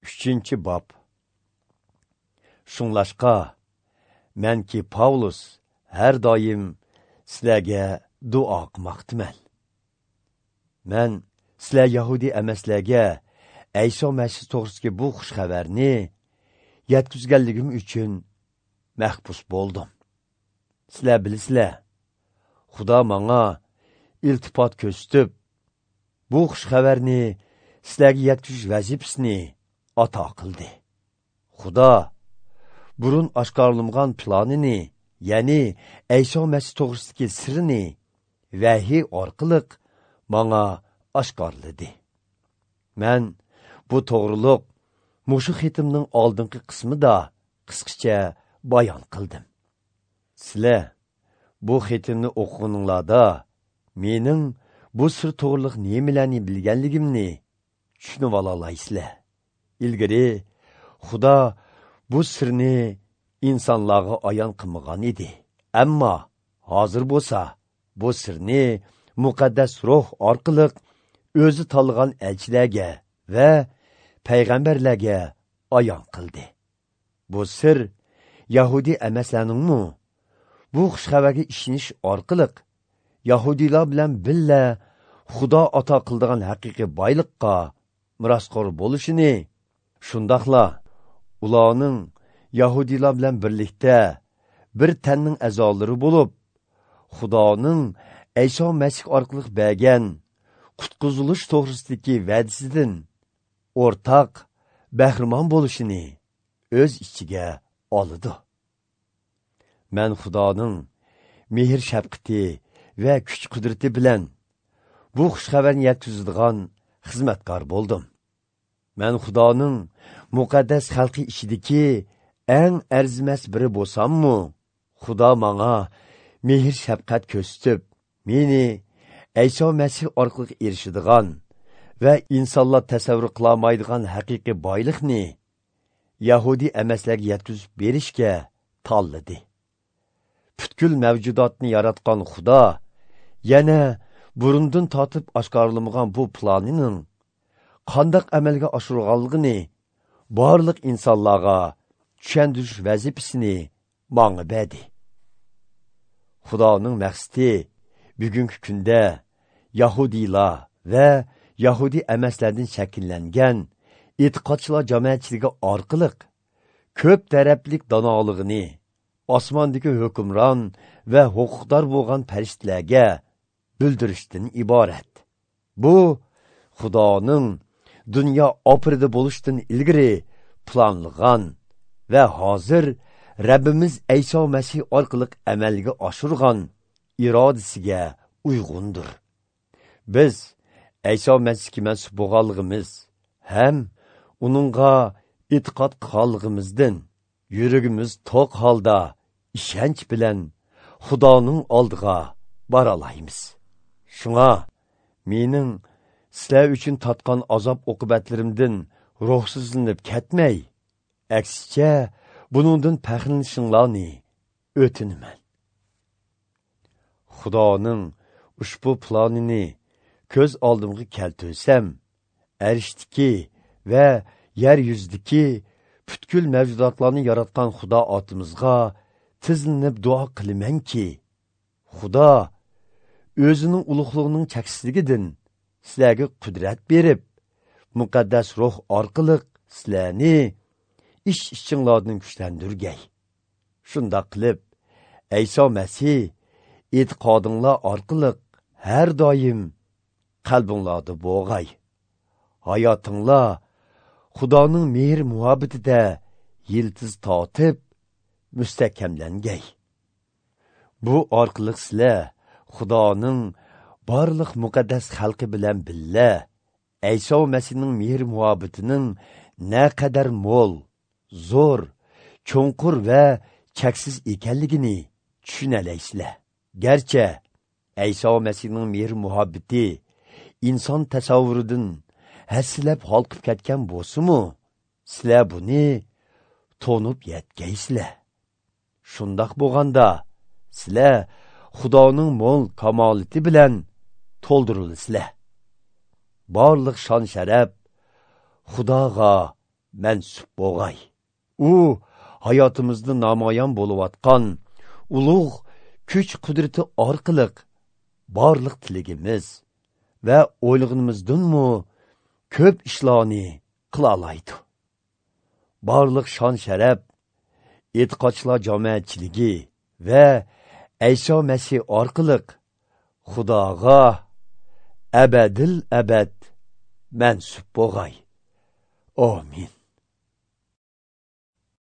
3-bob. Shunglashqa manki Pavlus har doim sizlarga duo qilmoqdaman. Man sizlar yahudi emaslarga Ayso Masih to'g'risidagi bu xush xabarni yetkazganligim uchun mahbus bo'ldim. Sizlar bilasizlar, Xudo menga iltifot ko'rsatib, bu xush xabarni sizlarga yetkazish vazifasini ato qildi. Xudo burun oshkorlangan planini, ya'ni Ayso Masih to'g'risidagi sirni vahiy orqali menga oshkorladi. Men bu to'g'riliq mushu xatimning oldingi qismida qisqacha bayon qildim. Sizlar bu xatimni o'qiganinglarda mening bu sir to'g'riliq nimalarni bilganligimni tushunib ololaysizlar. Ilgari Xudo bu sirni insonlarga ayon qilmagan edi. Ammo hozir bo'lsa bu sirni muqaddas ruh orqali o'zi tanlagan elchilarga va payg'ambarlarga ayon qildi. Bu sir yahudi emaslarningmi bu xushxabarga ishonish orqali yahudiylar bilan birga Xudo ato qildigan haqiqiy boyliqqa merosxo'r bo'lishini, shundoqla ularning yahudiylar bilan birlikda bir tanning a'zolari bo'lib, Xudoning Ayso Masih orqali bergan qutqizilish to'g'risidagi va'dasidan o'rtaq bahramon bo'lishini o'z ichiga oladi. Men Xudoning mehr shafqati va kuch qudrati bilan bu xushxabarni yetkazadigan xizmatkor bo'ldim. Men Xudoning muqaddas xalqi ichidagi eng arzimas biri bo'lsammi, Xudo menga mehr shafqat ko'rsatib, meni Ayso Masih orqali erishadigan va insonlar tasavvur qilolmaydigan haqiqiy boyliqni yahudi emaslarga yetkazib berishga tanladi. Butkul mavjudotni yaratgan Xudo yana burundan tortib oshkorlamagan bu planining qandoq amalga oshirganligini barliq insonlarga tushuntirish vazifasini menga berdi. Xudoning maqsadi bugungi kunda yahudiylar va yahudi emaslardan shakllangan e'tiqodchilar jamoatchiligi orqali ko'p taraflik donolig'ini osmondagi hukmron va huquqdor bo'lgan farishtalarga bildirishdan iborat. Bu Xudoning dunyo oxirida bo'lishdan ilgari planlagan va hozir Rabbimiz Ayso Masih orqali amalga oshirgan irodasiga uyg'undir. Biz Ayso Masihga mansub bo'lganligimiz ham uningga e'tiqod qilganligimizdan yuragimiz to'q holda ishonch bilan Xudoning oldiga bora olamiz. Shunga mening sizlar uchun tatgan azob oqibatlarimdan ruhsizlanib ketmay, aksicha buningdan faxrlanishinglarni o'tinaman. Xudoning ushbu planini ko'z oldimga keltirsam, arishdiki va yer yuzidagi butkul mavjudotlarni yaratgan Xudo otimizga tizlanib duo qilamanki, Xudo o'zining ulug'ligining cheksizligidan sizlarga qudrat berib, muqaddas ruh orqali sizlarni ish ichinglardan kuchlantirgay. Shundoq qilib, Ayso Masih e'tiqodinglar orqali har doim qalbinglarda bo'g'ay. Hayotinglar Xudoning mehr muhabbatida yiltiz tortib mustahkamlangay. Bu orqali sizlar Xudoning barliq muqaddas xalqi bilan birga Ayso Masihning mehr muhabbatining naqadar mo'l, zo'r, cho'nqur va cheksiz ekanligini tushunalaysizlar. Garchi Ayso Masihning mehr muhabbati inson tasavvuridan hassilab holqib ketgan bo'lsa-mu, sizlar buni to'nib yetgaysizlar. Shundoq bo'lganda sizlar Xudoning mo'l kamolati bilan to'ldirilsizlar. Barliq shon sharaf Xudoga mansub bo'lg'ay. U hayotimizda namoyon bo'layotgan ulug' kuch qudrati orqali barliq tiligimiz va o'ylag'inimizdanmi ko'p ishlarni qila oladi. Barliq shon sharaf e'tiqodchilar jamoatchiligi va Ayso Masih orqali Xudoga abadil abad mansub bo'lg'ay. Amin.